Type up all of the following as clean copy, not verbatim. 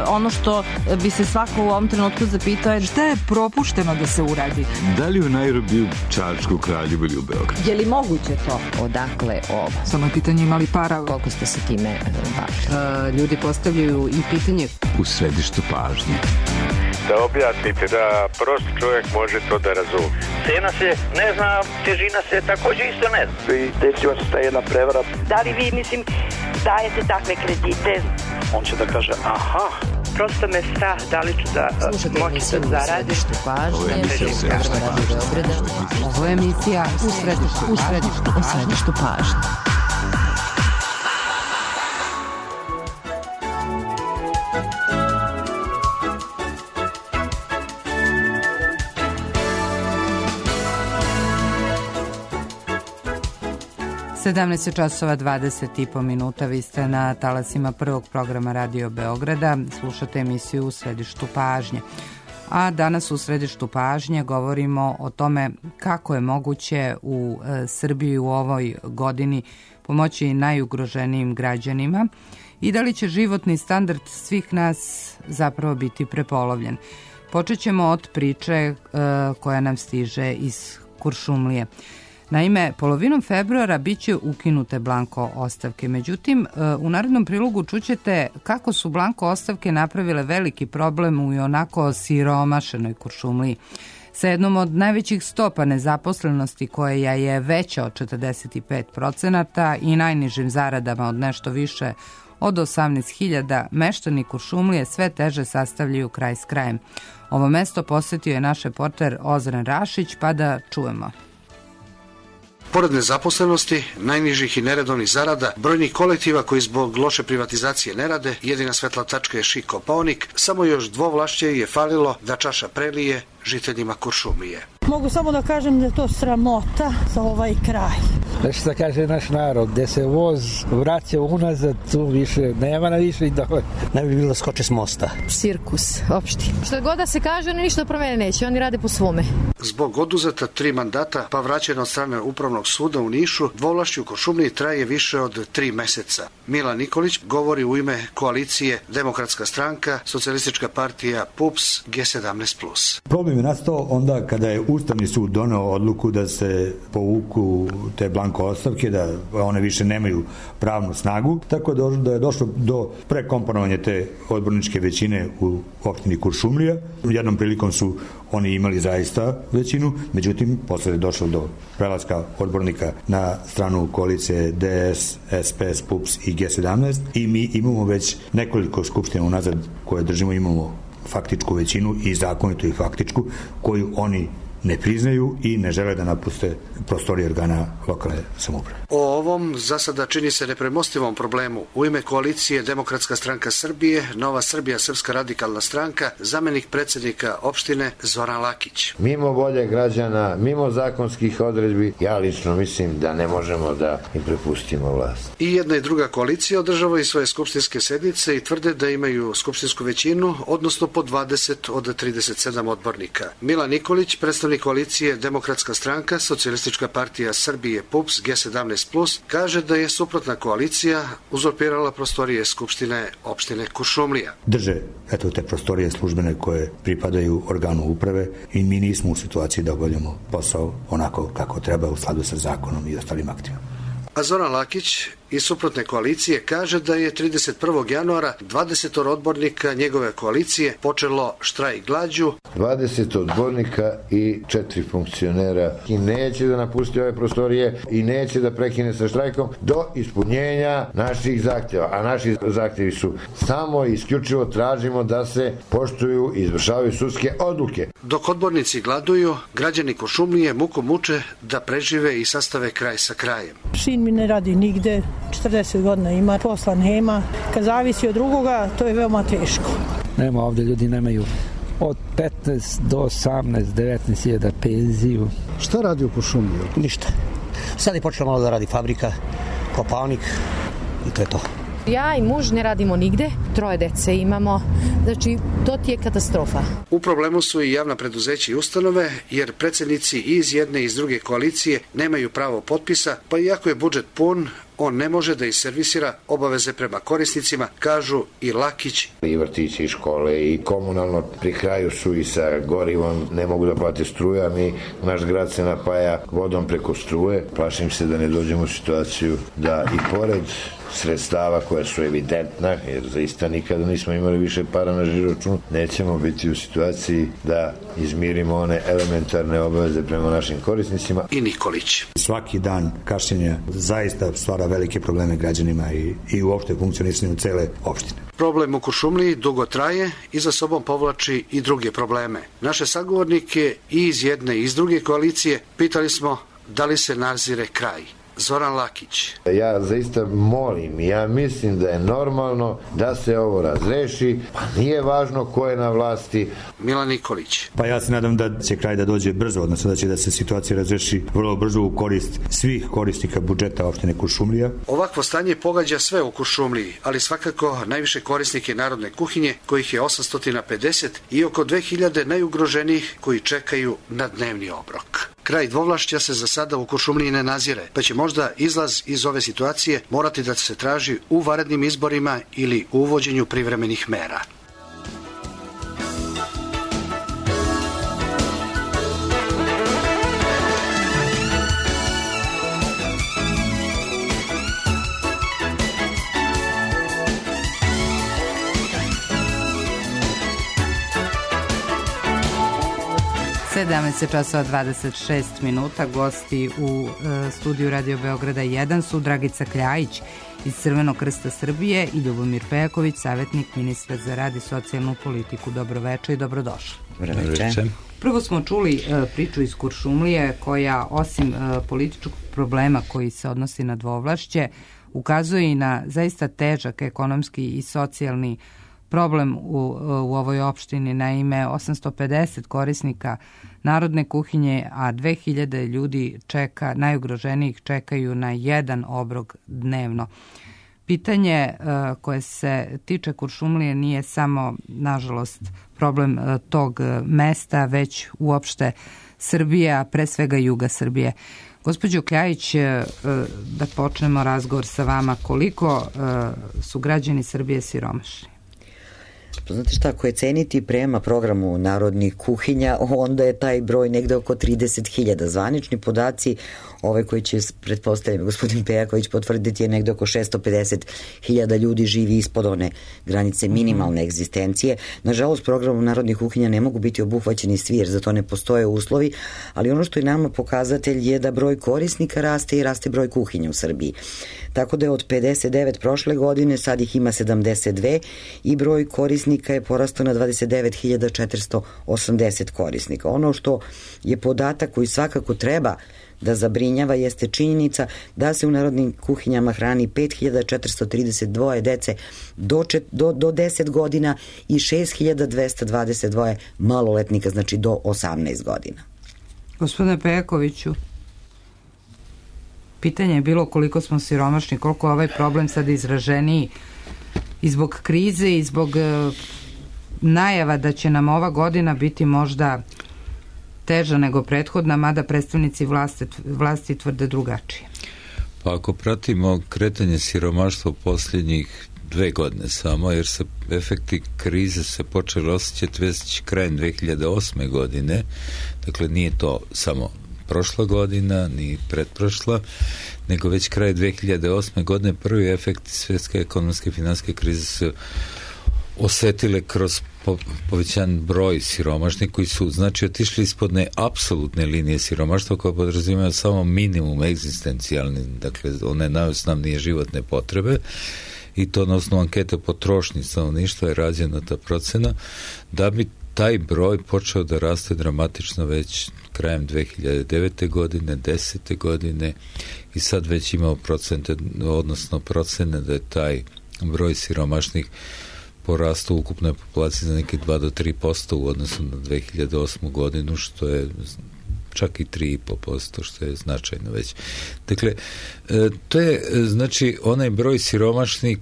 ono što bi se svako u ovom trenutku zapitao je šta je propušteno da se uradi? Da li u Nairobiju, Čačku, Kraljevu ili u Beogradu? Je li moguće to? Odakle ovo? Samo je pitanje imali para. Koliko ste se time bavili? Ljudi postavljaju i pitanje. U središtu pažnje. Da objasnite, da prost čovjek može to da razumije. Cena se ne zna, težina se također isto ne zna. I desila se ta jedna prevara. Da li vi, dajete takve kredite? On će da kaže, aha. Prosto me strah, da li ću da moći da zaradim. Ovo je emisija u središtu pažnje. Sedamnaest časova 20,5 minuta. Vi ste na talasima prvog programa Radio Beograda. Slušate emisiju U središtu pažnje. A danas u središtu pažnje govorimo o tome kako je moguće u Srbiji u ovoj godini pomoći najugroženijim građanima i da li će životni standard svih nas zapravo biti prepolovljen. Počet ćemo od priče koja nam stiže iz Kuršumlije. Naime, polovinom februara bit će ukinute blanko ostavke. Međutim, u narednom prilogu čućete kako su blanko ostavke napravile veliki problem u onako siromašenoj Kuršumliji. Sa jednom od najvećih stopa nezaposlenosti koja je veća od 45% i najnižim zaradama od nešto više od 18.000, meštani Kuršumlije sve teže sastavljaju kraj s krajem. Ovo mesto posjetio je naš reporter Ozren Rašić, pa da čujemo. Pored nezaposlenosti, najnižih i neredovnih zarada, brojnih kolektiva koji zbog loše privatizacije ne rade, jedina svetla tačka je Šik Kopaonik, samo još dvovlašće je falilo da čaša prelije žiteljima Kuršumlije. Mogu samo da kažem da je to sramota za ovaj kraj. Nešto da kaže naš narod, gde se voz vraća unazad, tu više nema na više i dole. Ne bi bilo skoče s mosta. Cirkus, opšti. Što god da se kaže, oni ništa promene neće, oni rade po svome. Zbog oduzeta 3 mandata, pa vraćeno od strane Upravnog suda u Nišu, dvovlašće u Kuršumliji traje više od 3 meseca. Mila Nikolić govori u ime koalicije Demokratska stranka, Socijalistička partija PUPS, G17+. Problem je nastao onda kada je Ustavni sud doneo odluku da se povuku te blanko ostavke, da one više nemaju pravnu snagu, tako da je došlo do prekomponovanja te odborničke većine u opštini Kuršumlija. Jednom prilikom su oni imali zaista većinu, međutim, posle je došlo do prelaska odbornika na stranu koalicije DS, SPS, PUPS i G17 i mi imamo već nekoliko skupština unazad koje držimo, imamo faktičku većinu i zakonitu i faktičku koju oni ne priznaju i ne žele da napuste prostorije organa lokalne samouprave. O ovom za sada čini se nepremostivom problemu u ime koalicije Demokratska stranka Srbije, Nova Srbija, Srpska radikalna stranka, zamenik predsjednika opštine Zoran Lakić. Mimo volje građana, mimo zakonskih odredbi, ja lično mislim da ne možemo da im prepustimo vlast. I jedna i druga koalicija održavaju svoje skupštinske sednice i tvrde da imaju skupštinsku većinu, odnosno po 20 od 37 odbornika. Mila Nikolić, predstavnik koalicije Demokratska stranka, Socijalistička partija Srbije, PUPS, G17+, kaže da je suprotna koalicija uzurpirala prostorije skupštine opštine Kuršumlija. Drže te prostorije službene koje pripadaju organu uprave i mi nismo u situaciji da obavljamo posao onako kako treba u skladu sa zakonom i ostalim aktima. A Zoran Lakić iz suprotne koalicije kaže da je 31. januara 20 odbornika njegove koalicije počelo štrajk glađu. 20 odbornika i 4 funkcionera i neće da napusti ove prostorije i neće da prekine sa štrajkom do ispunjenja naših zahtjeva. A naši zahtjevi su samo i isključivo tražimo da se poštuju i izvršavaju sudske odluke. Dok odbornici gladuju, građani Kuršumlije muku muče da prežive i sastave kraj sa krajem. Sin mi ne radi nigde, 40 godina ima, posla nema. Kad zavisi od drugoga, to je veoma teško. Nema, ovdje ljudi nemaju od 15 do 18, 19.000 penziju. Šta radi u Kuršumliji? Ništa. Sad je počela malo da radi fabrika, Kopaonik i to je to. Ja i muž ne radimo nigde, 3 dece imamo, znači to ti je katastrofa. U problemu su i javna preduzeća i ustanove, jer predsjednici iz jedne i iz druge koalicije nemaju pravo potpisa, pa iako je budžet pun, on ne može da iservisira obaveze prema korisnicima, kažu i Lakić. I vrtići i škole i komunalno pri kraju su i sa gorivom, ne mogu da plate struju, a naš grad se napaja vodom preko struje. Plašim se da ne dođemo u situaciju da i pored sredstava koja su evidentna, jer zaista nikada nismo imali više para na žiroračunu, nećemo biti u situaciji da izmirimo one elementarne obaveze prema našim korisnicima. I Nikolić. Svaki dan kašnjenja zaista stvara velike probleme građanima i uopšte funkcionisanju cele opštine. Problem u Kuršumliji dugo traje i za sobom povlači i druge probleme. Naše sagovornike i iz jedne i iz druge koalicije pitali smo da li se nazire kraj. Zoran Lakić. Ja zaista molim, ja mislim da je normalno da se ovo razreši, pa nije važno ko je na vlasti. Milan Nikolić. Pa ja se nadam da će kraj da dođe brzo, odnosno da će da se situacija razreši vrlo brzo u korist svih korisnika budžeta opštine Kuršumlija. Ovakvo stanje pogađa sve u Kuršumliji, ali svakako najviše korisnike narodne kuhinje, kojih je 850 i oko 2000 najugroženijih koji čekaju na dnevni obrok. Kraj dvovlašća se za sada u Kuršumliji ne nazire, pa će možda izlaz iz ove situacije morati da se traži u vanrednim izborima ili u uvođenju privremenih mera. časova 26 minuta. Gosti u studiju Radio Beograda 1 su Dragica Kljajić iz Crvenog krsta Srbije i Ljubomir Pejaković, savjetnik ministra za rad i socijalnu politiku. Dobroveče i dobrodošli. Dobroveče. Prvo smo čuli priču iz Kuršumlije koja osim političkog problema koji se odnosi na dvovlašće ukazuje i na zaista težak ekonomski i socijalni problem u ovoj opštini. Naime, 850 korisnika narodne kuhinje, a 2000 ljudi čeka, najugroženijih čekaju na jedan obrok dnevno. Pitanje koje se tiče Kuršumlije nije samo, nažalost, problem tog mesta, već uopšte Srbije, a pre svega juga Srbije. Gospođo Kljajić, da počnemo razgovor sa vama. Koliko su građani Srbije siromašni? Znate šta, ako je ceniti prema programu narodnih kuhinja, onda je taj broj negde oko 30.000. Zvanični podaci, ove koji će, pretpostavljam, gospodin Pejaković potvrditi, je negde oko 650.000 ljudi živi ispod one granice minimalne egzistencije. Nažalost, programom narodnih kuhinja ne mogu biti obuhvaćeni svi, jer za to ne postoje uslovi, ali ono što je nama pokazatelj je da broj korisnika raste i raste broj kuhinja u Srbiji. Tako da je od 59 prošle godine, sad ih ima 72 i broj korisnika je porastao na 29.480 korisnika. Ono što je podatak koji svakako treba da zabrinjava jeste činjenica da se u narodnim kuhinjama hrani 5.432 dece do 10 godina i 6.222 maloletnika, znači do 18 godina. Gospodine Pejakoviću, pitanje je bilo koliko smo siromašni, koliko je ovaj problem sad izraženiji i zbog krize i zbog najava da će nam ova godina biti možda teža nego prethodna, mada predstavnici vlasti tvrde drugačije. Pa ako pratimo kretanje siromaštva posljednjih 2 godine samo, jer se efekti krize se počeli osjećati već krajem 2008. godine, dakle nije to samo prošla godina, ni pretprošla, nego već kraj 2008. godine prvi efekti svjetske ekonomske i financijske krize se osetile kroz povećan broj siromašnih koji su, znači, otišli ispod apsolutne linije siromaštva koja podrazumijeva samo minimum egzistencijalni, dakle one najosnovnije životne potrebe, i to na osnovu ankete potrošnje stanovništva je rađena ta procena, da bi taj broj počeo da raste dramatično već krajem 2009. godine, 10. godine, i sad već imamo procene da je taj broj siromašnih porastu u ukupnoj populaciji za neke 2 do 3% u odnosu na 2008. godinu, što je čak i 3,5%, što je značajno već. Dakle, to je, znači, onaj broj siromašnih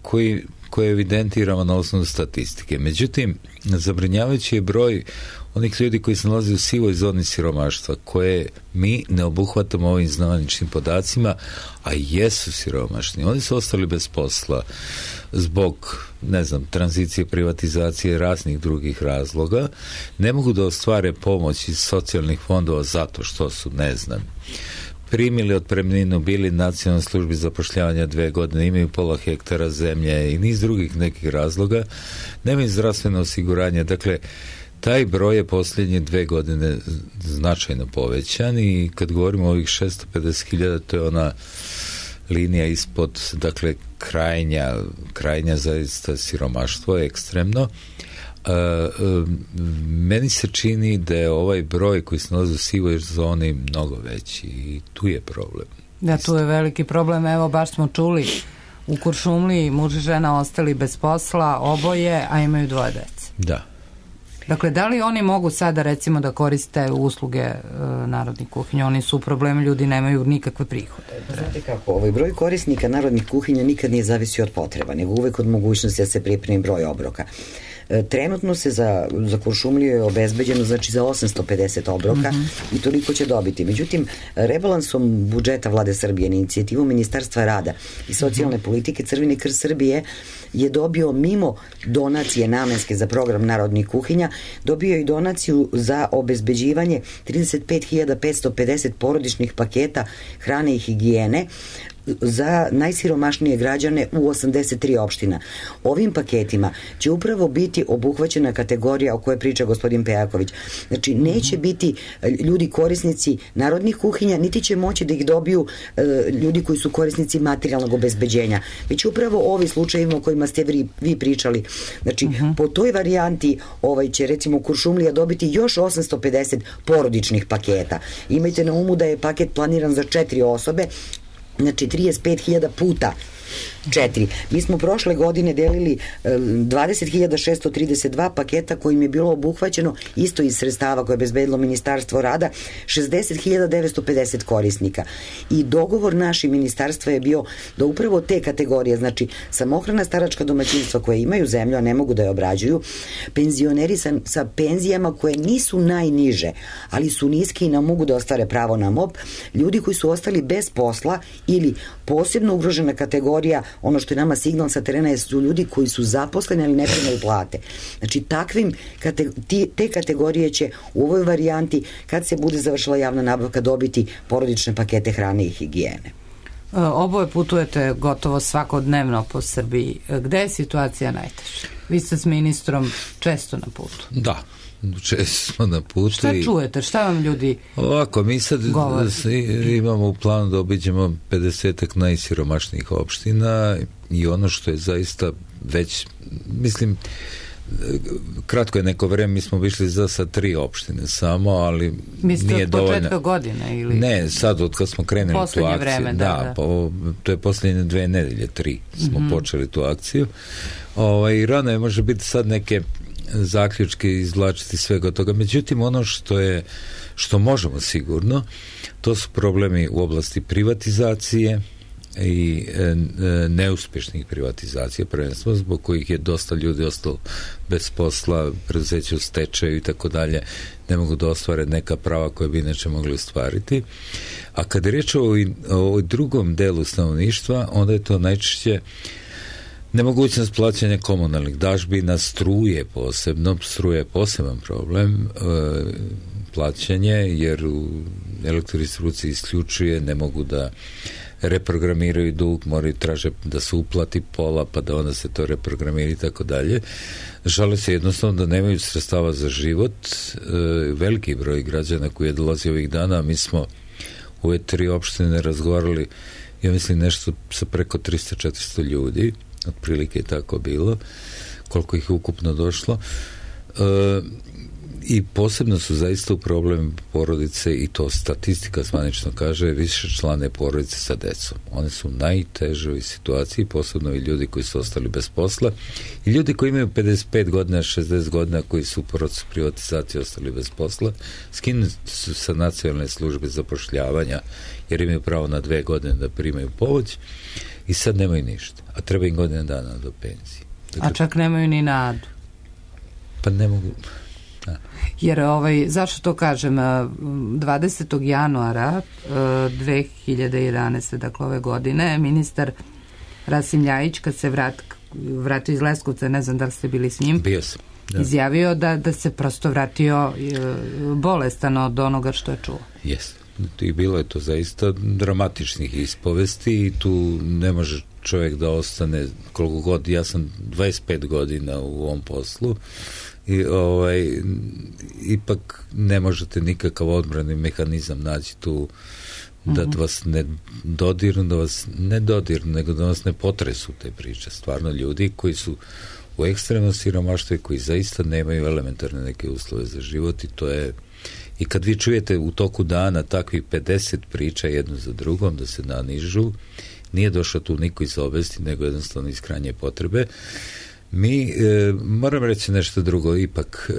koji evidentiramo na osnovu statistike. Međutim, zabrinjavajući je broj onih ljudi koji se nalaze u sivoj zoni siromaštva, koje mi ne obuhvatamo ovim zvaničnim podacima, a jesu siromašni. Oni su ostali bez posla zbog, ne znam, tranzicije, privatizacije, raznih drugih razloga. Ne mogu da ostvare pomoć iz socijalnih fondova zato što su, ne znam, primili otpremninu, bili nacionalnoj službi zapošljavanja 2 godine, imaju pola hektara zemlje i niz drugih nekih razloga, nemaju zdravstveno osiguranje. Dakle, taj broj je posljednje 2 godine značajno povećan i kad govorimo o ovih 650.000, to je ona linija ispod, dakle, krajnja zaista siromaštvo je ekstremno. Meni se čini da je ovaj broj koji se nalazi u sivoj zoni mnogo veći i tu je problem. Da, tu je veliki problem. Evo, baš smo čuli u Kuršumliji muž i žena ostali bez posla, oboje, a imaju 2 dece. Da. Dakle, da li oni mogu sada recimo da koriste usluge narodnih kuhinja? Oni su u problemu, ljudi nemaju nikakve prihode. Znate kako, ovaj broj korisnika narodnih kuhinja nikad nije zavisio od potreba, nego uvek od mogućnosti da se pripremi broj obroka. Trenutno se za Kuršumliju je obezbeđeno znači za 850 obroka i toliko će dobiti. Međutim, rebalansom budžeta Vlade Srbije na inicijativu Ministarstva rada i socijalne politike Crveni krst Srbije je dobio mimo donacije namenske za program narodnih kuhinja, dobio i donaciju za obezbeđivanje 35.550 porodičnih paketa hrane i higijene za najsiromašnije građane u 83 opština. Ovim paketima će upravo biti obuhvaćena kategorija o kojoj priča gospodin Pejaković. Znači, neće biti ljudi korisnici narodnih kuhinja, niti će moći da ih dobiju ljudi koji su korisnici materijalnog obezbeđenja. Već upravo ovi slučajima o kojima ste vi pričali. Znači, po toj varijanti će recimo Kuršumlija dobiti još 850 porodičnih paketa. Imajte na umu da je paket planiran za 4 osobe, znači 35.000 puta 4. Mi smo prošle godine delili 20.632 paketa kojim je bilo obuhvaćeno isto iz sredstava koje je obezbedilo Ministarstvo rada 60.950 korisnika. I dogovor naših ministarstva je bio da upravo te kategorije, znači samohrana staračka domaćinstva koje imaju zemlju, a ne mogu da je obrađuju, penzioneri sa penzijama koje nisu najniže, ali su niske i ne mogu da ostvare pravo na MOP, ljudi koji su ostali bez posla ili posebno ugrožena kategorija, ono što je nama signal sa terena su ljudi koji su zaposleni ali ne primaju plate. Znači te kategorije će u ovoj varijanti kad se bude završila javna nabavka dobiti porodične pakete hrane i higijene. Oboje putujete gotovo svakodnevno po Srbiji. Gde je situacija najteža? Vi ste s ministrom često na putu. Da, često smo na putu. Šta čujete? Šta vam ljudi ovako, mi sad govore? Imamo u planu da obiđemo 50 najsiromašnijih opština i ono što je zaista već, mislim, kratko je neko vreme, mi smo išli za 3 opštine samo, ali mislite nije dovoljno. Mislite od početka godine? Ili? Ne, sad od kad smo krenuli tu akciju. Vreme, da. To je posljednje 2 nedelje, 3 smo počeli tu akciju. I rano je može biti sad neke zaključke izvlačiti svega toga. Međutim, ono što možemo sigurno, to su problemi u oblasti privatizacije i neuspešnih privatizacija, prvenstveno zbog kojih je dosta ljudi ostalo bez posla, preduzeća u stečaju i tako dalje, ne mogu da ostvare neka prava koje bi inače mogli ostvariti. A kad je riječ o drugom delu stanovništva, onda je to najčešće nemogućnost plaćanja komunalnih dažbina, struje je poseban problem, plaćanje, jer u elektrodistribuciji isključuje, ne mogu da reprogramiraju dug, moraju traže da se uplati pola, pa da onda se to reprogramira i tako dalje. Žale se jednostavno da nemaju sredstava za život. Veliki broj građana koji je dolazi ovih dana, mi smo u ove 3 opštine razgovarali, ja mislim nešto sa preko 300-400 ljudi, otprilike je tako bilo, koliko ih je ukupno došlo. I posebno su zaista u problem porodice, i to statistika zvanično kaže, višečlane porodice sa decom. One su u najtežoj situaciji, posebno i ljudi koji su ostali bez posla i ljudi koji imaju 55 godina, 60 godina, koji su u procesu privatizacije ostali bez posla, skinuti su sa nacionalne službe zapošljavanja jer imaju pravo na 2 godine da primaju pomoć i sad nemaju ništa, a treba im godina dana do penzije. A čak nemaju ni nadu. Pa ne mogu. Jer zašto to kažem, 20. januara 2011. dakle ove godine, ministar Rasim Ljajić, kad se vratio iz Leskovca, ne znam da li ste bili s njim, bio sam, izjavio da se prosto vratio bolestan od onoga što je čuo. Jes. I bilo je to zaista dramatičnih ispovesti i tu ne može čovjek da ostane koliko god, ja sam 25 godina u ovom poslu i ipak ne možete nikakav odbrani mehanizam naći tu da vas ne dodirnu, nego da vas ne potresu te priče. Stvarno ljudi koji su u ekstremnom siromaštvu i koji zaista nemaju elementarne neke uslove za život i to je. I kad vi čujete u toku dana takvih 50 priča jednu za drugom da se nanižu, nije došao tu niko iz obesti, nego jednostavno iz krajnje potrebe. Mi, moram reći nešto drugo, ipak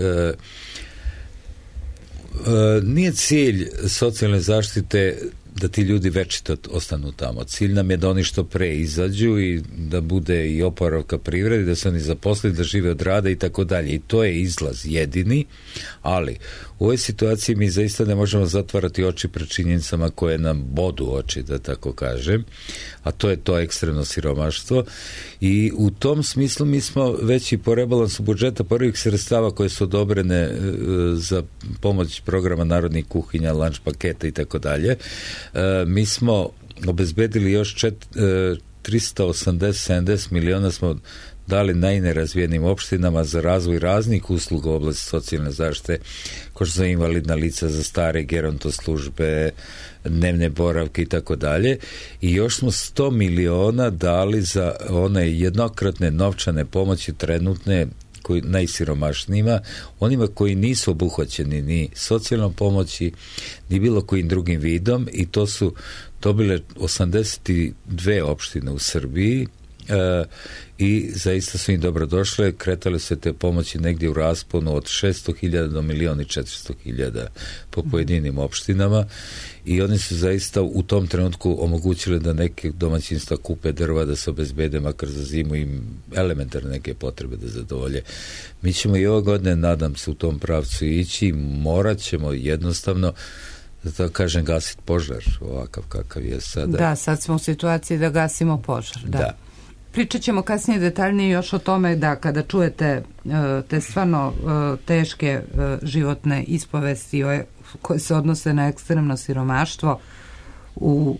nije cilj socijalne zaštite da ti ljudi večito ostanu tamo. Cilj nam je da oni što pre izađu i da bude i oporavka privrede, da se oni zaposle, da žive od rada i tako dalje. I to je izlaz jedini, ali u ovoj situaciji mi zaista ne možemo zatvarati oči pred činjenicama koje nam bodu oči, da tako kažem, a to je to ekstremno siromaštvo i u tom smislu mi smo već i po rebalansu budžeta prvih sredstava koje su odobrene za pomoć programa narodnih kuhinja, lunch paketa i tako dalje, mi smo obezbedili još 380-70 miliona smo dali najnerazvijenim opštinama za razvoj raznih usluga u oblasti socijalne zaštite, kao što su invalidna lica, za stare gerontoslužbe, dnevne boravke i tako dalje. I još smo 100 miliona dali za one jednokratne novčane pomoći trenutne najsiromašnijima, onima koji nisu obuhvaćeni ni socijalnom pomoći, ni bilo kojim drugim vidom i to su dobile 82 opštine u Srbiji i zaista su im dobro došle, kretale se te pomoći negdje u rasponu od 600.000 do 1.400.000 po pojedinim opštinama i oni su zaista u tom trenutku omogućili da neke domaćinstva kupe drva, da se obezbede makar za zimu i elementarne neke potrebe da zadovolje. Mi ćemo i ove godine, nadam se, u tom pravcu ići, morat ćemo jednostavno da tako kažem gasiti požar ovakav kakav je sada. Da, sad smo u situaciji da gasimo požar. Da. Pričat ćemo kasnije detaljnije još o tome da kada čujete te stvarno teške životne ispovesti koje se odnose na ekstremno siromaštvo, u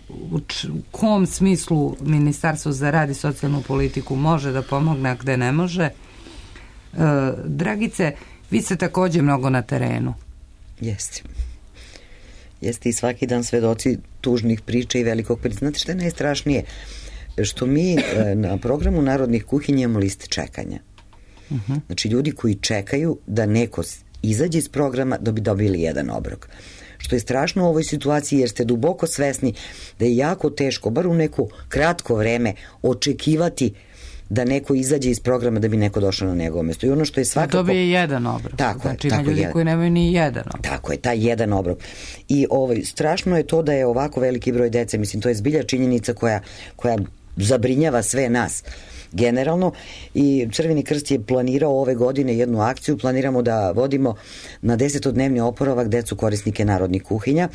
kom smislu Ministarstvo za rad i socijalnu politiku može da pomogne, a gde ne može. Dragice, vi ste također mnogo na terenu. Jeste i svaki dan svedoci tužnih priča i velikog priča. Znate što je najstrašnije? Što mi na programu narodnih kuhinja imamo liste čekanja. Znači ljudi koji čekaju da neko izađe iz programa da bi dobili jedan obrok. Što je strašno u ovoj situaciji jer ste duboko svesni da je jako teško, bar u neko kratko vreme, očekivati da neko izađe iz programa da bi neko došao na njegovo mjesto. I ono što je svakako... Da dobije jedan obrok. Znači ima ljudi koji nemaju ni jedan obrok. Tako je, taj jedan obrok. I strašno je to da je ovako veliki broj dece, mislim, to je zbilja činjenica koja zabrinjava sve nas generalno i Crveni krst je planirao ove godine jednu akciju, planiramo da vodimo na 10-dnevni oporavak decu korisnike narodnih kuhinja.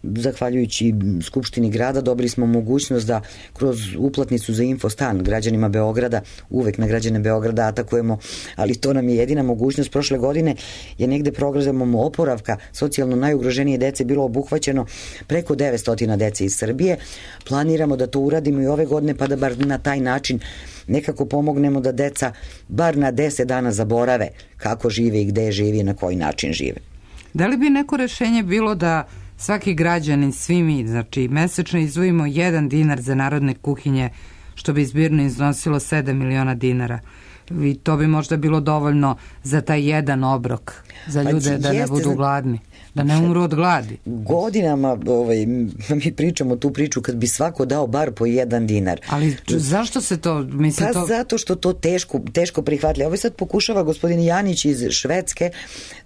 Zahvaljujući Skupštini grada dobili smo mogućnost da kroz uplatnicu za Infostan građanima Beograda, uvek na građane Beograda atakujemo, ali to nam je jedina mogućnost. Prošle godine je negde programom oporavka socijalno najugroženije dece bilo obuhvaćeno preko 900 dece iz Srbije. Planiramo da to uradimo i ove godine pa da bar na taj način nekako pomognemo da deca bar na 10 dana zaborave kako žive i gde žive i na koji način žive. Da li bi neko rešenje bilo da svaki građanin, svi mi, znači mesečno izdvojimo 1 dinar za narodne kuhinje, što bi zbirno iznosilo 7 miliona dinara. I to bi možda bilo dovoljno za taj jedan obrok, za ljude da ne budu gladni, da ne umru od gladi. Godinama mi pričamo tu priču kad bi svako dao bar po 1 dinar. Ali zašto se to... Pa zato što to teško prihvatili. Ovo sad pokušava gospodin Janić iz Švedske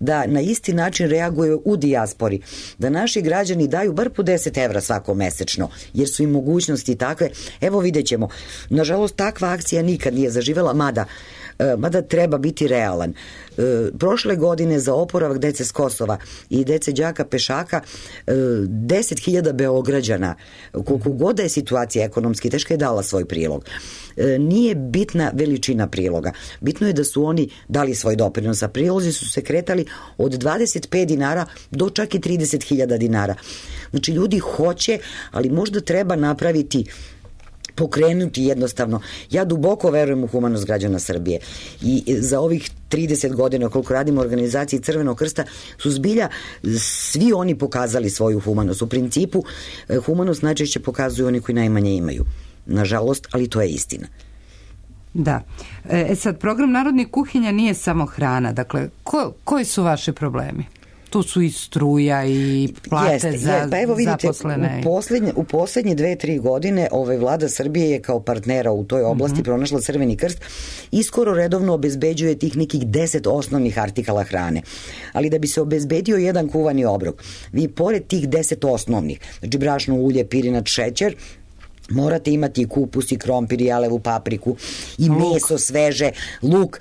da na isti način reaguje u dijaspori. Da naši građani daju bar po 10 evra svako mesečno, jer su im mogućnosti takve. Evo vidjet ćemo. Nažalost, takva akcija nikad nije zaživela, mada mada treba biti realan. Prošle godine za oporavak dece s Kosova i dece đaka pešaka 10.000 Beograđana, koliko god da je situacija ekonomski teška, je dala svoj prilog. Nije bitna veličina priloga. Bitno je da su oni dali svoj doprinos, a prilozi su se kretali od 25 dinara do čak i 30.000 dinara. Znači, ljudi hoće, ali možda treba napraviti, pokrenuti jednostavno. Ja duboko verujem u humanost građana Srbije i za ovih 30 godina koliko radimo u organizaciji Crvenog krsta su zbilja svi oni pokazali svoju humanost. U principu, humanost najčešće pokazuju oni koji najmanje imaju. Nažalost, ali to je istina. Da. Sad, program Narodnih kuhinja nije samo hrana. Dakle, koji su vaši problemi? Tu su i struja i plate za pa evo vidite, zaposlene. U poslednje 2-3 godine vlada Srbije je kao partnera u toj oblasti pronašla Crveni krst i skoro redovno obezbeđuje tih nekih 10 osnovnih artikala hrane. Ali da bi se obezbedio jedan kuvani obrok, vi pored tih 10 osnovnih, znači brašno, ulje, pirinač, šećer, morate imati i kupus, i krompir, i jalevu papriku, i meso sveže, luk,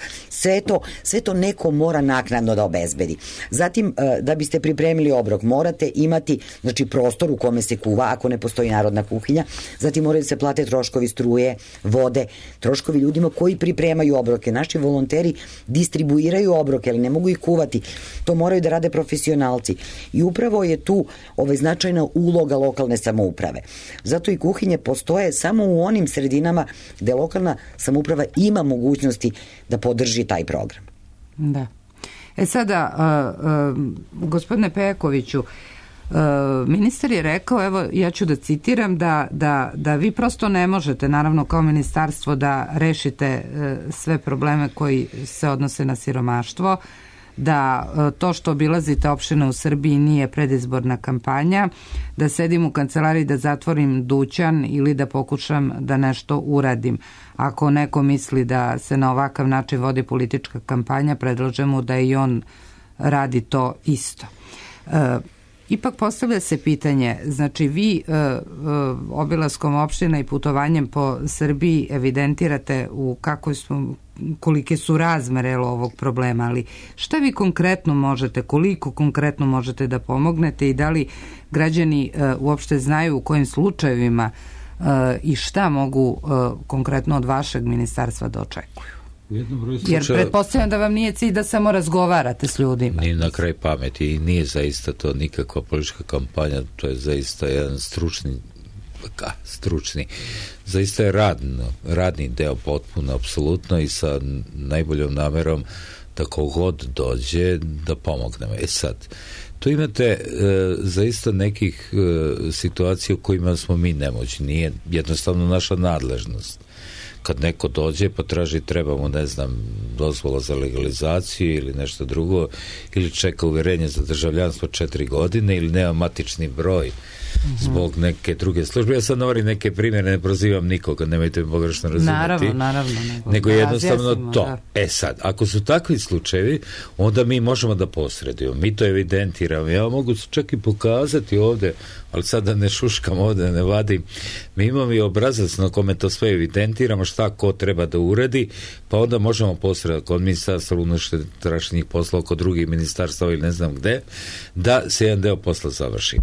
sve to neko mora naknadno da obezbedi. Zatim, da biste pripremili obrok, morate imati, znači, prostor u kome se kuva, ako ne postoji narodna kuhinja, zatim moraju se plate troškovi struje, vode, troškovi ljudima koji pripremaju obroke. Naši volonteri distribuiraju obroke, ali ne mogu ih kuvati. To moraju da rade profesionalci. I upravo je tu značajna uloga lokalne samouprave. Zato i kuhinje postoje samo u onim sredinama gde lokalna samouprava ima mogućnosti da podrži taj program. Da. Sada, gospodine Pejakoviću, ministar je rekao, evo ja ću da citiram, da vi prosto ne možete, naravno kao ministarstvo, da rešite sve probleme koji se odnose na siromaštvo, da to što obilazite opštine u Srbiji nije predizborna kampanja, da sedim u kancelariji da zatvorim dućan ili da pokušam da nešto uradim. Ako neko misli da se na ovakav način vodi politička kampanja, predlažem mu da i on radi to isto. Ipak postavlja se pitanje, znači vi obilaskom opština i putovanjem po Srbiji evidentirate kolike su razmere ovog problema, ali šta vi konkretno možete, koliko konkretno možete da pomognete i da li građani uopšte znaju u kojim slučajevima i šta mogu konkretno od vašeg ministarstva da očekuju? Jer pretpostavljam da vam nije cilj da samo razgovarate s ljudima. Nije na kraj pameti i nije zaista to nikakva politička kampanja, to je zaista jedan stručni, zaista je radni deo potpuno, apsolutno, i sa najboljom namerom da kogod dođe da pomognemo. Sad, tu imate zaista nekih situacija u kojima smo mi nemoćni, nije jednostavno naša nadležnost. Kad neko dođe pa traži, treba mu, ne znam, dozvola za legalizaciju ili nešto drugo, ili čeka uverenje za državljanstvo 4 godine, ili nema matični broj zbog neke druge službe. Ja sad navorim neke primjere, ne prozivam nikoga, nemojte me pogrešno razumjeti. Naravno. Nego jednostavno to. Da. Sad, ako su takvi slučajevi, onda mi možemo da posredujemo. Mi to evidentiramo. Ja mogu čak i pokazati ovde, ali sad da ne šuškam ovde, da ne vadim. Mi imamo i obrazac na kome to sve evidentiramo, šta ko treba da uradi, pa onda možemo posredati kod ministarstva unutrašnjih poslova, kod drugih ministarstva ili ne znam gde, da se jedan deo posla završi.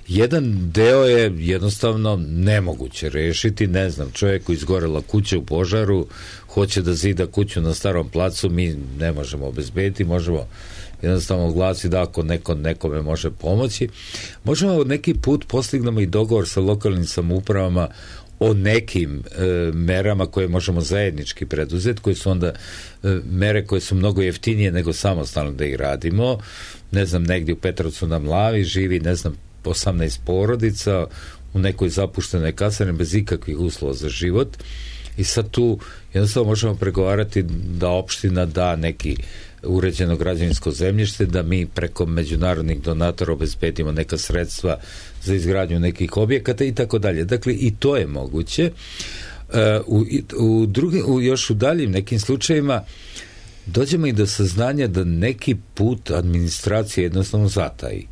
Jedan deo je jednostavno nemoguće rešiti, ne znam, čovjeku izgorela kuća u požaru, hoće da zida kuću na Starom placu, mi ne možemo obezbediti, možemo jednostavno oglasiti da ako nekome može pomoći. Možemo neki put postignemo i dogovor sa lokalnim samoupravama o nekim merama koje možemo zajednički preduzeti, koje su onda mere koje su mnogo jeftinije nego samostalno da ih radimo. Ne znam, negdje u Petrovcu na Mlavi živi, ne znam, 18 porodica u nekoj zapuštenoj kasarni bez ikakvih uslova za život, i sad tu jednostavno možemo pregovarati da opština da neki uređeno građevinsko zemljište, da mi preko međunarodnih donatora obezbedimo neka sredstva za izgradnju nekih objekata i tako dalje. Dakle, i to je moguće. Još u daljim nekim slučajevima dođemo i do saznanja da neki put administracija jednostavno zataji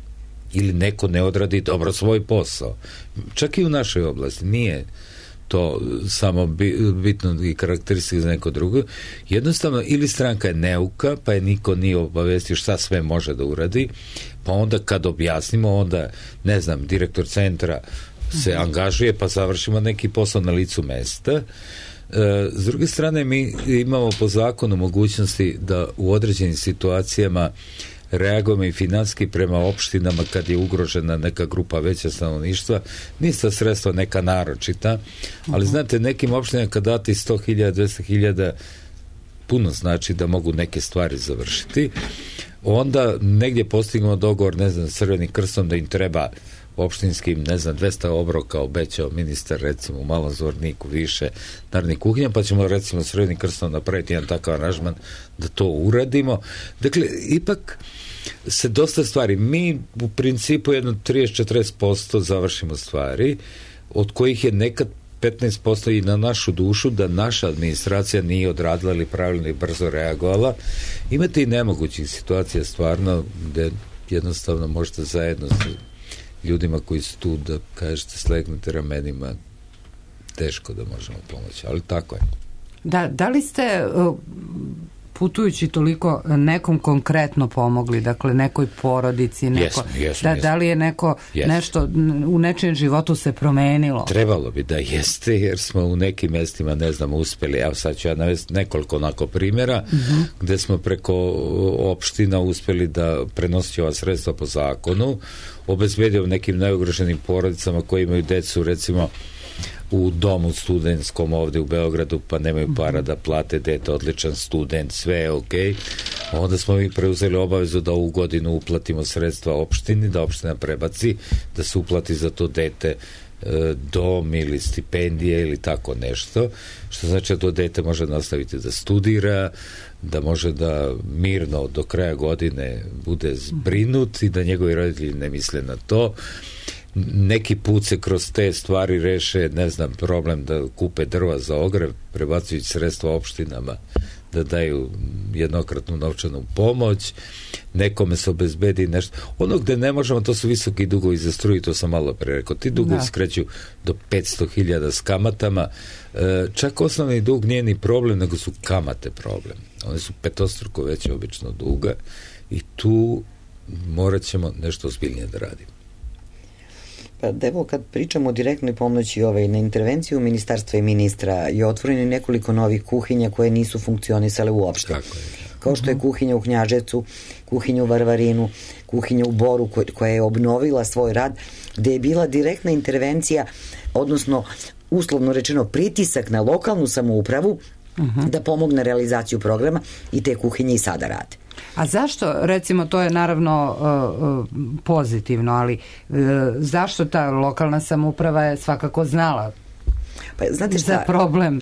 ili neko ne odradi dobro svoj posao. Čak i u našoj oblasti nije to samo bitno i karakteristika za neko drugo. Jednostavno, ili stranka je neuka, pa je niko nije obavestio šta sve može da uradi, pa onda kad objasnimo, onda, ne znam, direktor centra se angažuje, pa završimo neki posao na licu mesta. S druge strane, mi imamo po zakonu mogućnosti da u određenim situacijama reagujemo i finanski prema opštinama kad je ugrožena neka grupa veća stanovništva. Nista sredstva neka naročita, ali znate, nekim opštinama kad dati 100.000, 200.000, puno znači da mogu neke stvari završiti. Onda negdje postignemo dogovor, ne znam, s Crvenim krstom da im treba opštinskim, ne znam, 200 obroka obećao ministar, recimo u Malom Zvorniku više narodnih kuhinja, pa ćemo recimo s Crvenim krstom napraviti jedan takav aranžman da to uradimo. Dakle, ipak se dosta stvari, mi u principu jedno 30-40% završimo stvari, od kojih je nekad 15% i na našu dušu da naša administracija nije odradila ili pravilno i brzo reagovala. Imate i nemogućih situacija stvarno gde jednostavno možete zajedno sa ljudima koji su tu da kažete slegnete ramenima, teško da možemo pomoći, ali tako je. Da li ste putujući toliko nekom konkretno pomogli, dakle nekoj porodici, da li je neko nešto u nečijem životu se promenilo? Trebalo bi da jeste, jer smo u nekim mestima, ne znam, uspeli, evo sad ću ja navesti nekoliko onako primjera, gde smo preko opština uspeli da prenosi ova sredstva po zakonu, obezbedio nekim najugroženim porodicama koji imaju decu, recimo u domu studentskom ovde u Beogradu, pa nemaju para da plate dete, odličan student, sve je okej. Onda smo mi preuzeli obavezu da ovu godinu uplatimo sredstva opštini, da opština prebaci, da se uplati za to dete dom ili stipendije ili tako nešto, što znači da to dete može nastaviti da studira, da može da mirno do kraja godine bude zbrinut i da njegovi roditelji ne misle na to. Neki put se kroz te stvari reše, ne znam, problem da kupe drva za ogrev, prebacujući sredstva opštinama da daju jednokratnu novčanu pomoć, nekome se obezbedi nešto. Ono gde ne možemo, to su visoki dugovi za struju, to sam malo pre rekao. Ti dugovi skreću do 500.000 s kamatama. Čak osnovni dug nije ni problem, nego su kamate problem. One su petostruko veće obično duga i tu morat ćemo nešto ozbiljnije da radimo. Pa evo, kad pričamo o direktnoj pomoći na intervenciju ministarstva i ministra je otvoreno nekoliko novih kuhinja koje nisu funkcionisale uopšte. Kao što je kuhinja u Knjaževcu, kuhinja u Varvarinu, kuhinja u Boru koja je obnovila svoj rad, gde je bila direktna intervencija, odnosno uslovno rečeno pritisak na lokalnu samoupravu da pomogne realizaciju programa i te kuhinje i sada rade. A zašto, recimo, to je naravno pozitivno, ali zašto ta lokalna samouprava je svakako znala za problem?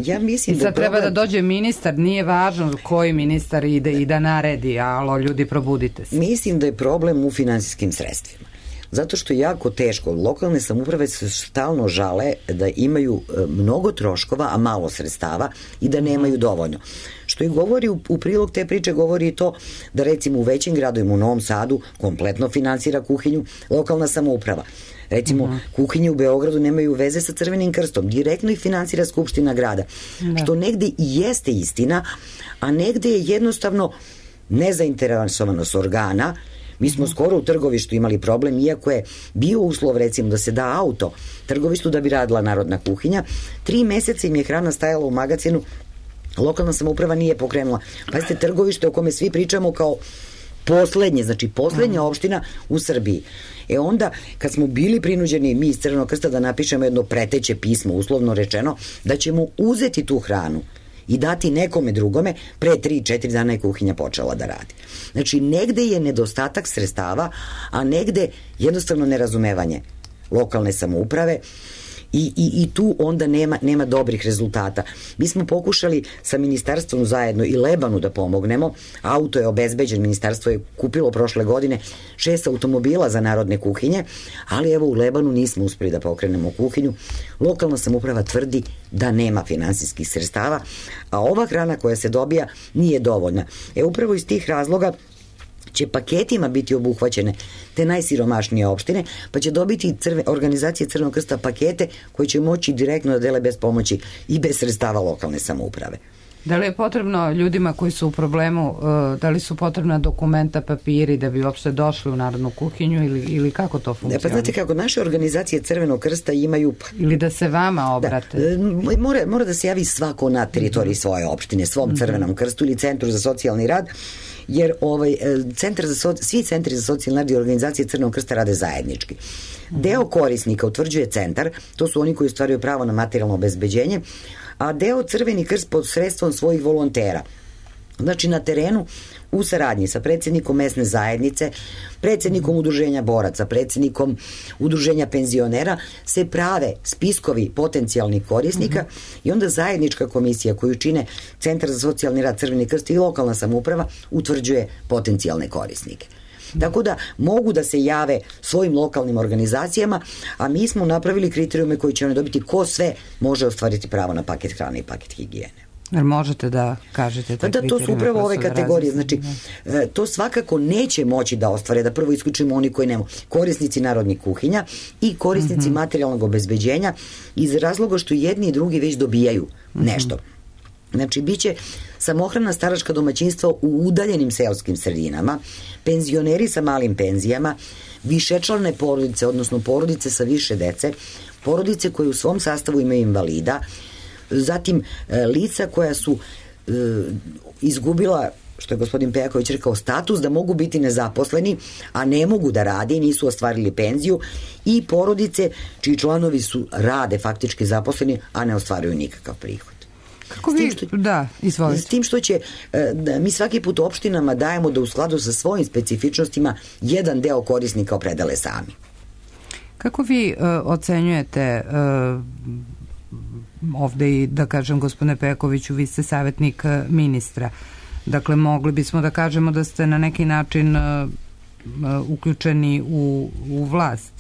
Ja mislim i sad treba da dođe ministar, nije važno koji ministar ide i da naredi, alo, ljudi, probudite se. Mislim da je problem u finansijskim sredstvima. Zato što je jako teško. Lokalne samouprave se stalno žale da imaju mnogo troškova, a malo sredstava i da nemaju dovoljno. Što i govori u prilog te priče, govori i to da recimo u većim gradovima, u Novom Sadu, kompletno finansira kuhinju lokalna samouprava. Recimo, kuhinje u Beogradu nemaju veze sa Crvenim krstom, direktno ih finansira Skupština grada. Što negde i jeste istina, a negde je jednostavno nezainteresovanost organa. Mi smo skoro u Trgovištu imali problem, iako je bio uslov recimo da se da auto Trgovištu da bi radila narodna kuhinja. 3 meseca im je hrana stajala u magacinu, lokalna samouprava nije pokrenula. Pazite, Trgovište o kome svi pričamo kao poslednje, znači poslednja opština u Srbiji. Onda, kad smo bili prinuđeni mi iz Crvenog krsta da napišemo jedno preteće pismo, uslovno rečeno, da ćemo uzeti tu hranu i dati nekome drugome, pre 3-4 dana je kuhinja počela da radi. Znači, negde je nedostatak sredstava, a negde jednostavno nerazumevanje lokalne samouprave i tu onda nema dobrih rezultata. Mi smo pokušali sa ministarstvom zajedno i Lebanu da pomognemo. Auto je obezbeđen, ministarstvo je kupilo prošle godine 6 automobila za narodne kuhinje, ali evo u Lebanu nismo uspeli da pokrenemo kuhinju. Lokalna samouprava tvrdi da nema finansijskih sredstava, a ova hrana koja se dobija nije dovoljna. Upravo iz tih razloga će paketima biti obuhvaćene te najsiromašnije opštine, pa će dobiti organizacije Crvenog krsta pakete koji će moći direktno da dele bez pomoći i bez sredstava lokalne samouprave. Da li je potrebno ljudima koji su u problemu, da li su potrebna dokumenta, papiri da bi uopšte došli u Narodnu kuhinju ili kako to funkcionira? Pa znate kako, naše organizacije Crvenog krsta imaju... Ili da se vama obrate? Mora da se javi svako na teritoriji svoje opštine, svom Crvenom krstu ili Centru za socijalni rad, jer svi centri za socijalni rad i organizacije Crvenog krsta rade zajednički. Deo korisnika utvrđuje centar, to su oni koji ostvaruju pravo na materijalno obezbeđenje, a deo Crveni krst pod sredstvom svojih volontera. Znači na terenu u saradnji sa predsjednikom mesne zajednice, predsjednikom udruženja boraca, predsjednikom udruženja penzionera se prave spiskovi potencijalnih korisnika i onda zajednička komisija koju čine Centar za socijalni rad, Crveni krst i lokalna samouprava utvrđuje potencijalne korisnike. Tako da mogu da se jave svojim lokalnim organizacijama, a mi smo napravili kriterijume koji će oni dobiti ko sve može ostvariti pravo na paket hrane i paket higijene. Jer možete da kažete te kriterijume? To su upravo ove kategorije. Znači, to svakako neće moći da ostvare, da prvo isključimo oni koji nemaju. Korisnici narodnih kuhinja i korisnici materijalnog obezbeđenja iz razloga što jedni i drugi već dobijaju nešto. Znači, bit će samohrana staračka domaćinstva u udaljenim seoskim sredinama, penzioneri sa malim penzijama, višečlane porodice, odnosno porodice sa više dece, porodice koje u svom sastavu imaju invalida, zatim lica koja su izgubila, što je gospodin Pejaković rekao, status da mogu biti nezaposleni, a ne mogu da rade i nisu ostvarili penziju, i porodice čiji članovi rade faktički zaposleni, a ne ostvaruju nikakav prihod. S tim što će mi svaki put opštinama dajemo da u skladu sa svojim specifičnostima jedan deo korisnika opredele sami. Kako vi ocenjujete ovde i da kažem gospodine Pejakoviću, vi ste savjetnik ministra, dakle mogli bismo da kažemo da ste na neki način uključeni u vlast.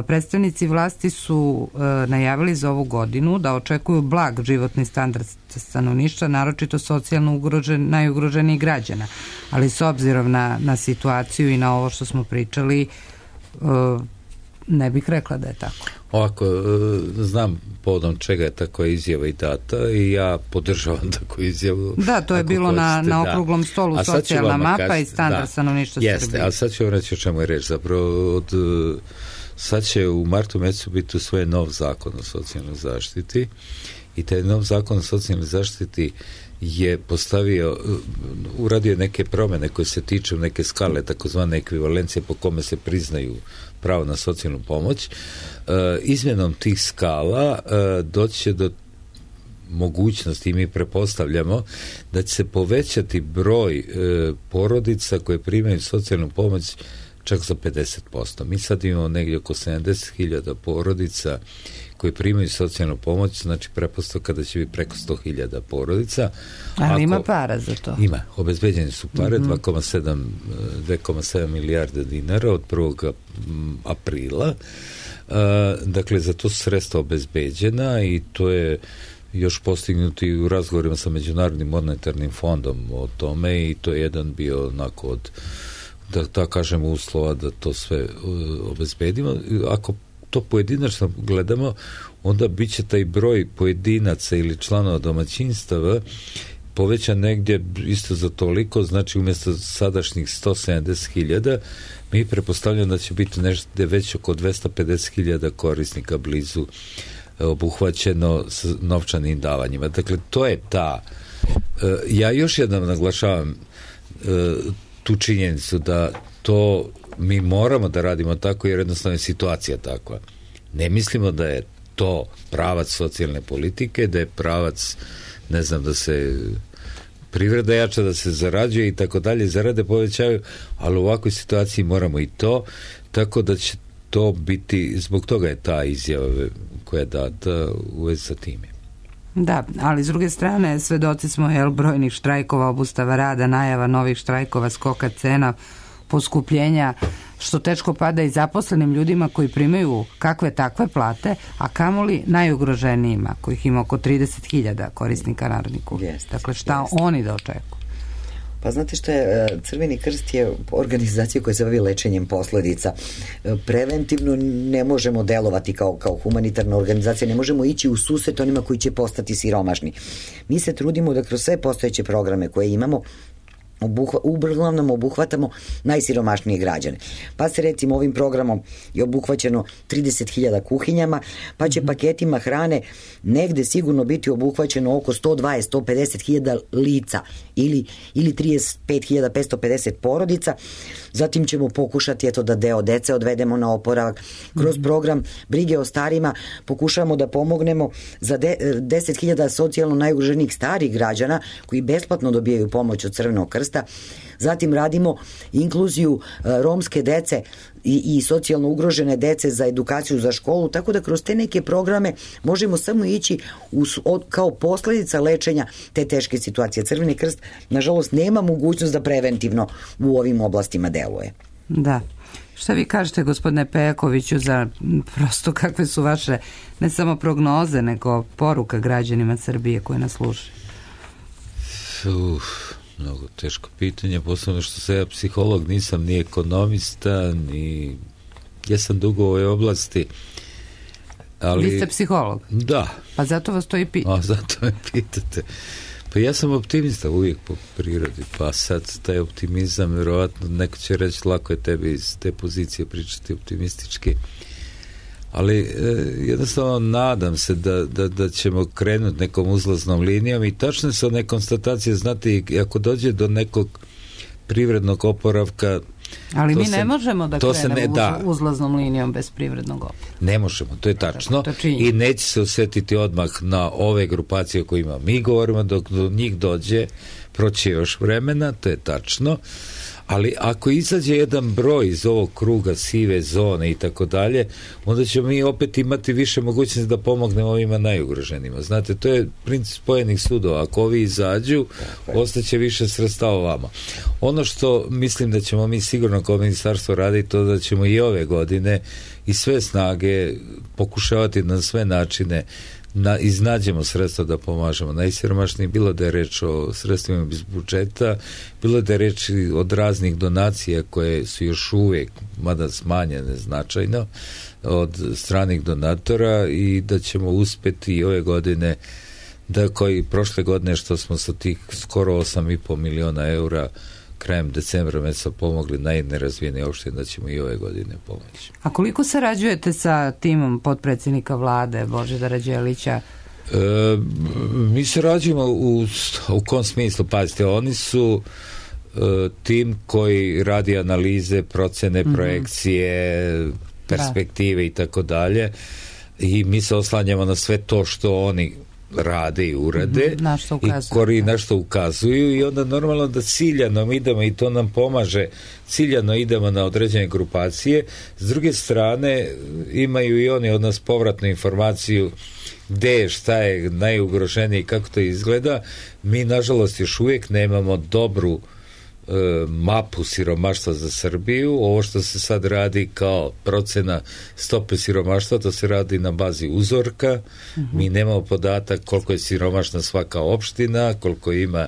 Predstavnici vlasti su najavili za ovu godinu da očekuju blag životni standard stanovništva, naročito socijalno najugroženijih građana, ali s obzirom na situaciju i na ovo što smo pričali, ne bih rekla da je tako. Ovako, znam povodom čega je takva izjava i data i ja podržavam takvu izjavu. Da, to je bilo na okruglom stolu socijalna mapa i standard stanovništva Srbije. Jeste, ali sad ću vam reći o čemu je reč. Zapravo, sad će u martu mesecu biti usvojen nov zakon o socijalnoj zaštiti i taj nov zakon o socijalnoj zaštiti je uradio neke promjene koje se tiču neke skale, takozvane ekvivalencije po kome se priznaju pravo na socijalnu pomoć. Izmjenom tih skala doći će do mogućnosti, i mi prepostavljamo da će se povećati broj porodica koje primaju socijalnu pomoć čak za 50%. Mi sad imamo negdje oko 70.000 porodica koji primaju socijalnu pomoć, znači pretpostavka da će biti preko 100.000 porodica. Ali ima para za to? Ima, obezbeđene su pare, 2,7 milijarde dinara od 1. aprila. Dakle, za to su sredstva obezbeđena i to je još postignuti u razgovorima sa Međunarodnim monetarnim fondom o tome i to je jedan bio onako od, da kažemo, uslova da to sve obezbedimo. Ako to pojedinačno gledamo, onda bit će taj broj pojedinaca ili članova domaćinstava povećan negdje isto za toliko, znači umjesto sadašnjih 170.000 mi prepostavljamo da će biti nešto već oko 250.000 korisnika blizu obuhvaćeno s novčanim davanjima. Dakle, to je ta. Ja još jednom naglašavam tu činjenicu da to mi moramo da radimo tako jer jednostavno je situacija takva. Ne mislimo da je to pravac socijalne politike, da je pravac, ne znam, da se privreda jača, da se zarađuje i tako dalje, zarade povećaju, ali u ovakvoj situaciji moramo i to, tako da će to biti, zbog toga je ta izjava koja je data u vezi sa time. Da, ali s druge strane svedoci smo brojnih štrajkova, obustava rada, najava novih štrajkova, skoka cena, poskupljenja, što teško pada i zaposlenim ljudima koji primaju kakve takve plate, a kamoli najugroženijima, kojih ima oko 30.000 korisnika narodnih kuhinja. Dakle, šta oni da očekuju? Pa znate što je, Crveni krst je organizacija koja se bavi lečenjem posledica. Preventivno ne možemo delovati kao humanitarna organizacija, ne možemo ići u susret onima koji će postati siromašni. Mi se trudimo da kroz sve postojeće programe koje imamo uglavnom obuhvatamo najsiromašnije građane. Pa se recimo ovim programom je obuhvaćeno 30.000 kuhinjama, pa će paketima hrane negde sigurno biti obuhvaćeno oko 120-150.000 lica ili 35.550 porodica. Zatim ćemo pokušati da deo dece odvedemo na oporavak. Kroz program brige o starima pokušavamo da pomognemo za 10.000 socijalno najugroženijih starih građana koji besplatno dobijaju pomoć od Crvenog krsta. Zatim radimo inkluziju romske dece i socijalno ugrožene dece za edukaciju za školu, tako da kroz te neke programe možemo samo ići kao posledica lečenja te teške situacije. Crveni krst, nažalost, nema mogućnost da preventivno u ovim oblastima deluje. Da. Šta vi kažete, gospodine Pejakoviću, za prosto kakve su vaše ne samo prognoze, nego poruka građanima Srbije koji nas slušaju? Mnogo teško pitanje, posebno što sam ja psiholog, nisam ni ekonomista, ni... Ja sam dugo u ovoj oblasti, ali... Vi ste psiholog? Da. Pa zato vas to i pitam. A zato me pitate. Pa ja sam optimista uvijek po prirodi, pa sad taj optimizam, vjerovatno neko će reći lako je tebi iz te pozicije pričati optimistički, ali jednostavno nadam se da ćemo krenuti nekom uzlaznom linijom i tačno su one konstatacije, znate, ako dođe do nekog privrednog oporavka. Ali mi ne možemo da krenemo uzlaznom linijom bez privrednog oporavka. Ne možemo, to je tačno. I neće se osjetiti odmah na ove grupacije koje ima. Mi govorimo dok do njih dođe, proći još vremena, to je tačno. Ali ako izađe jedan broj iz ovog kruga sive zone i tako dalje, onda ćemo mi opet imati više mogućnosti da pomognemo ovima najugroženima. Znate, to je princip spojenih sudova. Ako ovi izađu, ostaće više sredstava vama. Ono što mislim da ćemo mi sigurno kao ministarstvo raditi, to da ćemo i ove godine i sve snage pokušavati na sve načine iznađemo sredstva da pomažemo najsiromašniji, bilo da je reč o sredstvima iz budžeta, bilo da je reč od raznih donacija koje su još uvijek, mada smanjene značajno, od stranih donatora, i da ćemo uspjeti i ove godine, da koji prošle godine što smo sa tih skoro 8,5 miliona eura krajem decembra mjeseca pomogli najnerazvijenije opštine, da ćemo i ove godine pomoći. A koliko sarađujete sa timom potpredsjednika vlade Božidara Đelića? Mi sarađujemo u kom smislu? Pazite, oni su tim koji radi analize, procene, projekcije, perspektive i tako dalje, i mi se oslanjamo na sve to što oni rade i urade i na što ukazuju, i onda normalno da ciljano idemo, i to nam pomaže, ciljano idemo na određene grupacije. S druge strane imaju i oni od nas povratnu informaciju gde je, šta je najugroženije i kako to izgleda. Mi nažalost još uvijek nemamo dobru mapu siromaštva za Srbiju. Ovo što se sad radi kao procena stope siromaštva, to se radi na bazi uzorka. Mi nemamo podatak koliko je siromašna svaka opština, koliko ima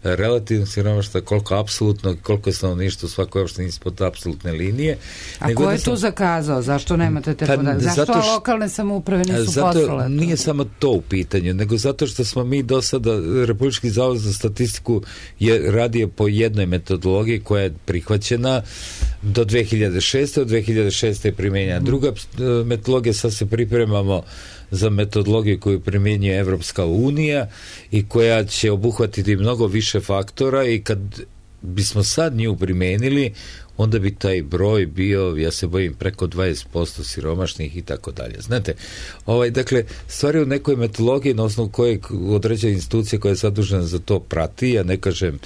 relativno siromaštva, koliko apsolutno, koliko je stanovništvo u svakoj opštini ispod apsolutne linije. A ko je tu zakazao? Zašto nemate te podatke? Zašto lokalne samouprave nisu poslale? Nije samo to u pitanju, nego zato što smo mi do sada, Republički zavod za statistiku je radio po jednoj metodologiji koja je prihvaćena do 2006. Od 2006. je primjenjena druga metodologija, sad se pripremamo za metodologiju koju primjenjuje Evropska unija i koja će obuhvatiti mnogo više faktora, i kad bismo sad nju primijenili, onda bi taj broj bio, ja se bojim, preko 20% siromašnih i tako dalje. Znate, dakle, stvari u nekoj metodologiji na osnovu kojeg određena institucija koja je zadužena za to prati, ja ne kažem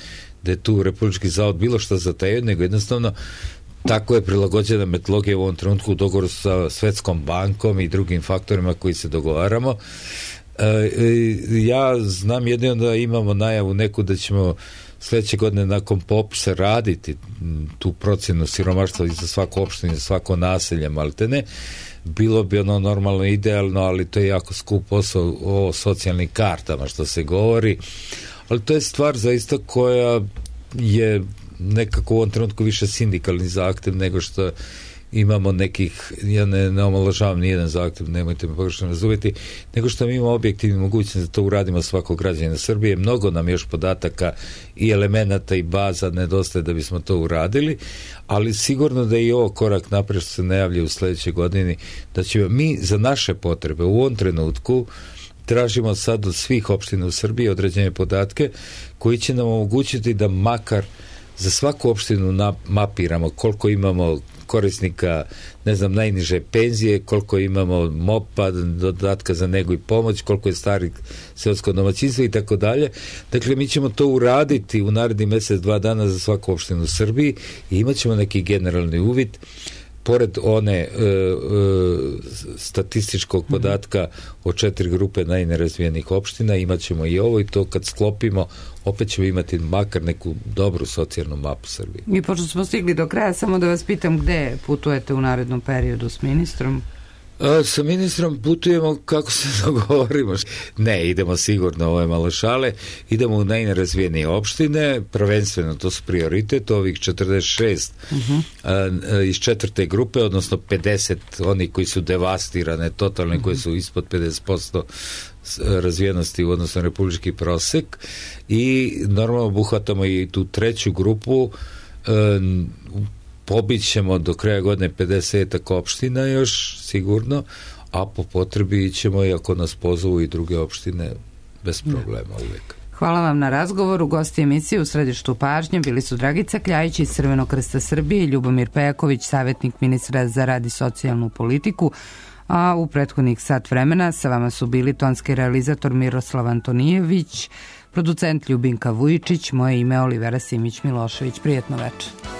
da je tu Republički zavod bilo što zatajio, nego jednostavno tako je prilagođena metodologija u ovom trenutku u dogovoru sa Svetskom bankom i drugim faktorima koji se dogovaramo. Ja znam jedino da imamo najavu neku da ćemo sljedeće godine nakon popisa raditi tu procjenu siromaštva i za svaku opštinu i za svako naselje, maltene. Bilo bi ono normalno idealno, ali to je jako skup posao o socijalnim kartama što se govori, ali to je stvar zaista koja je nekako u ovom trenutku više sindikalni zahtev nego što imamo nekih, ja ne omalovažavam nijedan zahtev, nemojte me pogrešno razumjeti, nego što mi imamo objektivni mogućnost da to uradimo svakog građanina Srbije. Mnogo nam još podataka i elemenata i baza nedostaje da bismo to uradili, ali sigurno da je i ovo korak naprijed što se najavlja u sledećoj godini, da ćemo mi za naše potrebe u ovom trenutku tražimo sad od svih opština u Srbiji određene podatke koji će nam omogućiti da makar za svaku opštinu mapiramo koliko imamo korisnika, ne znam, najniže penzije, koliko imamo MOP-a, dodatka za negu i pomoć, koliko je starih seosko domaćinstvo i tako dalje. Dakle, mi ćemo to uraditi u narednih mesec, 2 dana za svaku opštinu u Srbiji i imat ćemo neki generalni uvid. Pored one statističkog podatka o 4 grupe najnerazvijenih opština, imat ćemo i ovo i to kad sklopimo, opet ćemo imati makar neku dobru socijalnu mapu Srbije. I pošto smo stigli do kraja, samo da vas pitam gde putujete u narednom periodu s ministrom? Sa ministrom putujemo kako se dogovorimo. Ne, idemo sigurno, ovo je malo šale, idemo u najnerazvijenije opštine, prvenstveno to su prioritet, ovih 46 iz 4. grupe, odnosno 50 oni koji su devastirane, totalne, koji su ispod 50% razvijenosti u odnosu na republički prosek, i normalno obuhvatamo i tu 3. grupu. Pobićemo do kraja godine 50 opština još sigurno, a po potrebi ćemo, i ako nas pozovu, i druge opštine bez problema uvijek. Hvala vam na razgovoru. Gosti emisije u središtu pažnje bili su Dragica Kljajić iz Crvenog krsta Srbije i Ljubomir Pejaković, savjetnik ministra za rad i socijalnu politiku, a u prethodnih sat vremena sa vama su bili tonski realizator Miroslav Antonijević, producent Ljubinka Vujičić, moje ime Olivera Simić Milošević. Prijetno večer.